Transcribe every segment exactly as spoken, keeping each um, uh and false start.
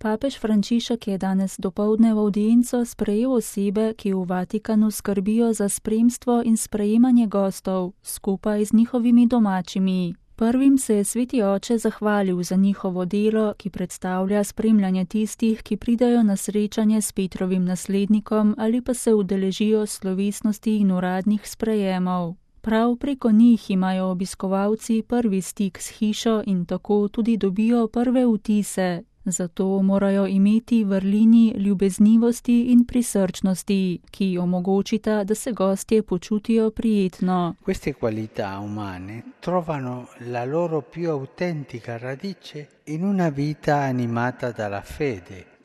Papež Frančišek je danes dopoldne v avdienco sprejel osebe, ki v Vatikanu skrbijo za spremstvo in sprejemanje gostov, skupaj z njihovimi domačimi. Prvim se je sveti oče zahvalil za njihovo delo, ki predstavlja spremljanje tistih, ki pridajo na srečanje s Petrovim naslednikom ali pa se udeležijo slovesnosti in uradnih sprejemov. Prav preko njih imajo obiskovalci prvi stik s hišo in tako tudi dobijo prve vtise. Zato morajo imeti vrlini ljubeznivosti in prisrčnosti, ki omogočita, da se gostje počutijo prijetno. Queste qualità umane trovano la loro più autentica radice in una vita animata dalla fede.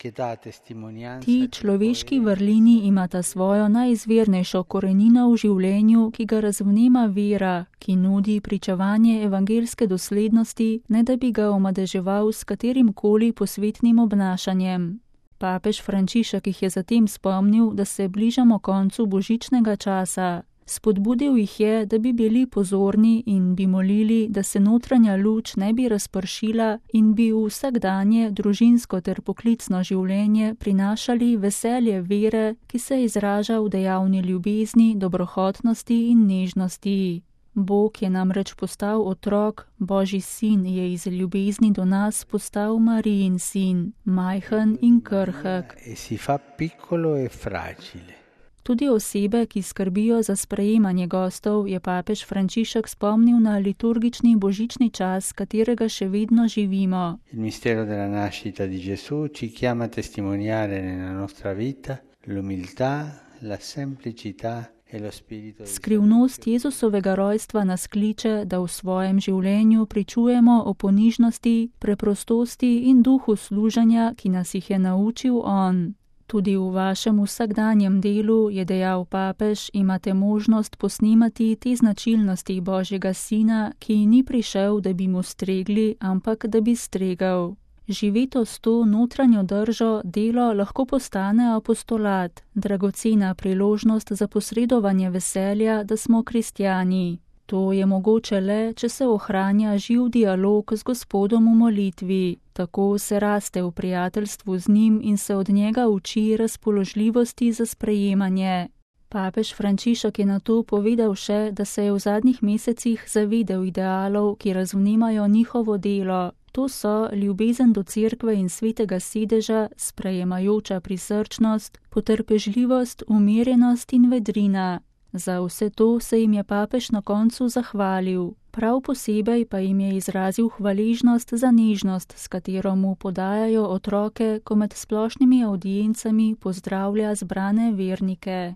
Ti človeški vrlini imata svojo najizvirnejšo korenino v življenju, ki ga razvnema vera, ki nudi pričevanje evangeljske doslednosti, ne da bi ga omadeževal s katerimkoli posvetnim obnašanjem. Papež Frančišek jih je zatem spomnil, da se bližamo koncu božičnega časa. Spodbudil jih je, da bi bili pozorni in bi molili, da se notranja luč ne bi razpršila in bi v vsakdanje družinsko ter poklicno življenje prinašali veselje vere, ki se izraža v dejavni ljubezni, dobrohotnosti in nežnosti. Bog je namreč postal otrok, Božji sin je iz ljubezni do nas postal Marijin sin, majhen in krhek. E si fa piccolo e fragile. Tudi osebe, ki skrbijo za sprejemanje gostov, je papež Frančišek spomnil na liturgični božični čas, katerega še vedno živimo. Il mistero della nascita di Gesù ci chiama a testimoniare nella nostra vita l'umiltà, la semplicità e lo spirito. Skrivnost Jezusovega rojstva nas kliče, da v svojem življenju pričujemo o ponižnosti, preprostosti in duhu služenja, ki nas jih je naučil on. Tudi v vašem vsakdanjem delu, je dejal papež, imate možnost posnemati te značilnosti Božjega sina, ki ni prišel, da bi mu stregli, ampak da bi stregal. Živeto s to notranjo držo delo lahko postane apostolat, dragocena priložnost za posredovanje veselja, da smo kristjani. To je mogoče le, če se ohranja živ dialog z Gospodom v molitvi. Tako se raste v prijateljstvu z njim in se od njega uči razpoložljivosti za sprejemanje. Papež Frančišek je nato povedal še, da se je v zadnjih mesecih zavedel idealov, ki razvnemajo njihovo delo. To so ljubezen do cerkve in svetega sedeža, sprejemajoča prisrčnost, potrpežljivost, umirjenost in vedrina. Za vse to se jim je papež na koncu zahvalil. Prav posebej pa jim je izrazil hvaležnost za nežnost, s katero mu podajajo otroke, ko med splošnimi avdiencami pozdravlja zbrane vernike.